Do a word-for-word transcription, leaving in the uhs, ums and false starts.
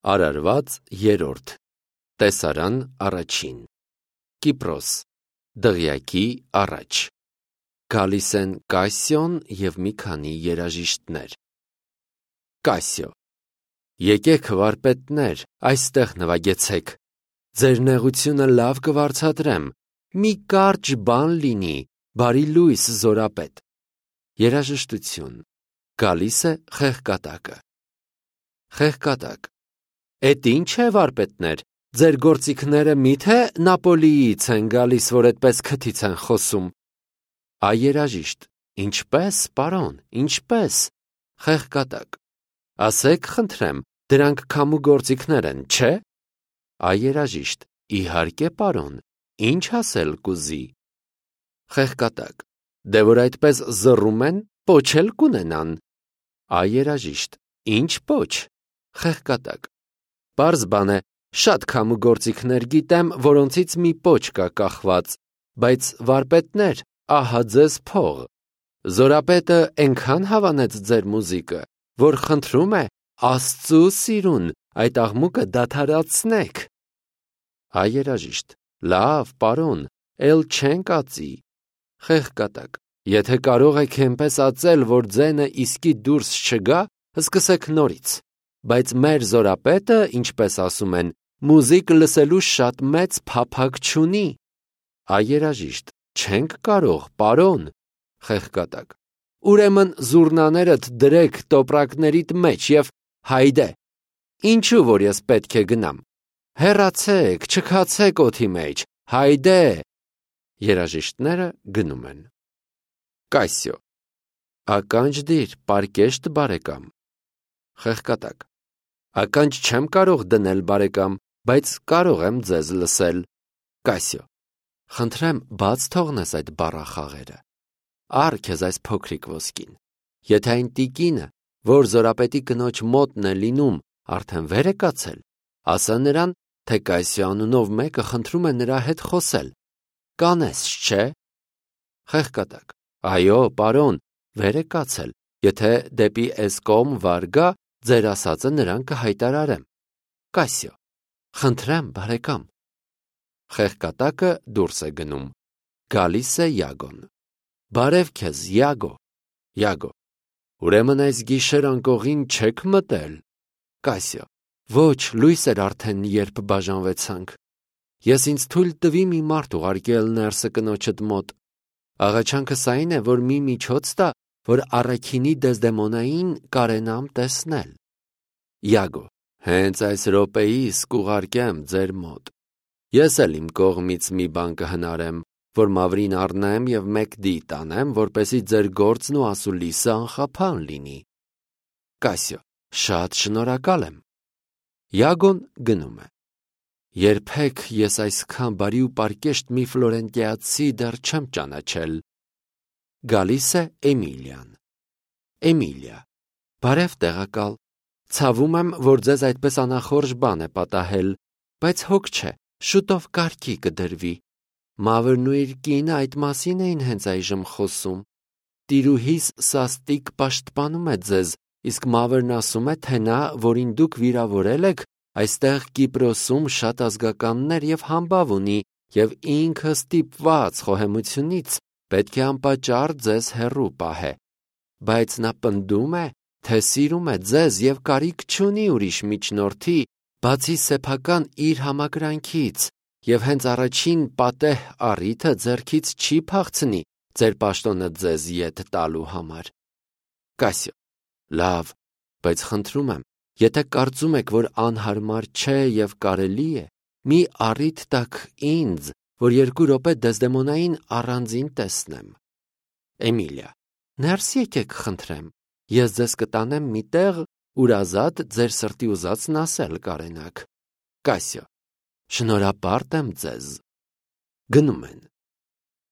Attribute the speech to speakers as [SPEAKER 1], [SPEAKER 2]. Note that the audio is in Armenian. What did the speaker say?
[SPEAKER 1] Արարված երրորդ Տեսարան առաջին Կիպրոս Դղյակի առաջ Գալիս են Կասիոն և մի քանի երաժիշտներ։ Կասիո. Եկեք վարպետներ, այստեղ նվագեցեք, ձեր նեղությունը լավ կվարձատրեմ, մի կարճ բան լինի, բարի լույս զորապետ։ Երաժշտություն, գալիս է խեղկատակը։ Խեղկատակ. Էդ ինչ է վարպետներ, ձեր գործիքները միթե Նապոլիից են գալիս, որ այդպես քթից են խոսում։ Այ երաժիշտ, ինչպե՞ս, պարոն, ինչպե՞ս։ Խեղկատակ. Ասեք խնդրեմ, դրանք քամու գործիքներ են, չէ՞։ Այ երաժիշտ, իհարկե պարոն, ինչ ասել կուզի։ Խեղկատակ. Դե որ այդպես զռում են, պոչ էլ կունենան։ Այ երաժիշտ, ինչ պոչ։ Խեղկատակ. Պարզ բան է, շատ քամու գործիքներ գիտեմ, որոնցից մի պոչ կա կախված, բայց վարպետներ, ահա ձեզ փող։ Զորապետը էնքան հավանեց ձեր մուզիկը, որ խնդրում է Աստծու սիրուն այդ աղմուկը դադարեցնեք։ Այ երաժիշտ, լավ, պարոն, էլ չենք ածի։ Խեղկատակ. Եթե կարող եք էնպես ածել, որ ձենը իսկի դուրս չգա, սկսեք նորից, բայց մեր զորապետը, ինչպես ասում են, մուզիկ լսելու շատ մեծ փափագ չունի։ Այ երաժիշտ, չենք կարող, պարոն։ Խեղկատակ. Ուրեմն զուռնաներդ դրեք տոպրակներիդ մեջ և հայդե, ինչու որ ես պետք է գնամ։ Հեռացեք, չքացեք օդի մեջ, հայդե։ Երաժիշտները գնում են։ Կասիո. Ականջ դիր, պարկեշտ բարեկամ։ Խեղկատակ. Ականջ չեմ կարող դնել բարեկամ, բայց կարող եմ ձեզ լսել։ Կասիո. Խնդրեմ, բաց թողնես այդ բառախաղերը։ Առ քեզ այս փոքրիկ ոսկին։ Եթե այն տիկինը, որ զորապետի կնոջ մոտն է լինում, արդեն վեր է կացել, ասա նրան, թե Կասիո անունով մեկը խնդրում է նրա հետ խոսել։ Կանես, չէ։ Խեղկատակ. Այո, պարոն, վեր է կացել, եթե դեպի էս կողմ վար գա, ձեր ասածը նրան կհայտարարեմ։ Կասիո. Խնդրեմ, բարեկամ։ Խեղկատակը դուրս է գնում։ Գալիս է Յագոն։ Բարև քեզ, Յագո։ Յագո. Ուրեմն այս գիշեր անկողին չեք մտել։ Կասիո. Ոչ, լույս էր արդեն, երբ բաժանվեցանք։ Ես ինձ թույլ տվի մի մարդ ուղարկել ներսը կնոջդ մոտ։ Աղաչանքս այն է, որ մի միջոց տա, որ առաքինի Դեզդեմոնային կարենամ տեսնել։ Յագո. Հենց այս րոպեիս կուղարկեմ ձեր մոտ։ Ես էլ իմ կողմից մի բան կհնարեմ, որ մավրին առնեմ և մեկ դի տանեմ, որպեսզի ձեր գործն ու ասուլիսը անխափան լինի։ Կասիո. Շատ շնորհակալ եմ։ Յագոն գնում է։ Երբեք ես այսքան բարի ու պարկեշտ մի ֆլորենտիացի դեռ չեմ ճանաչել։ Գալիս է Էմիլիան։ Էմիլիա. Բարև տեղակալ, ցավում եմ, որ ձեզ այդպես անախորժ բան է պատահել, բայց հոգ չէ, շուտով կարգի կդրվի։ Մավրն ու իր կինը այդ մասին էին հենց այժմ խոսում։ Տիրուհիս սաստիկ պաշտպանում է ձեզ, իսկ մավրն ասում է, թե նա, որին դուք վիրավորել եք, այստեղ Կիպրոսում շատ ազգականներ և համբավ ունի, և ինքը ստիպված խոհեմությունից պետք է անպատճառ ձեզ հեռու պահե։ Բայց նա պնդում է, թե սիրում է ձեզ և կարիք չունի ուրիշ միջնորդի, բացի սեփական իր համակրանքից, և հենց առաջին պատեհ առիթը ձեռքից չի փախցնի ձեր պաշտոնը ձեզ ետ տալու համար։ Կասիո. Լավ, բայց խնդրում եմ, եթե կարծում եք, որ անհարմար չէ և կարելի է, մի առիթ տաք ինձ, որ երկու րոպե Դեզդեմոնային առանձին տեսնեմ։ Էմիլիա. Ներս եկեք խնդրեմ, ես ձեզ կտանեմ մի տեղ, ուր ազատ ձեր սրտի ուզածն ասել կարենաք։ Կասիո. Շնորհապարտ եմ ձեզ։ Գնում են։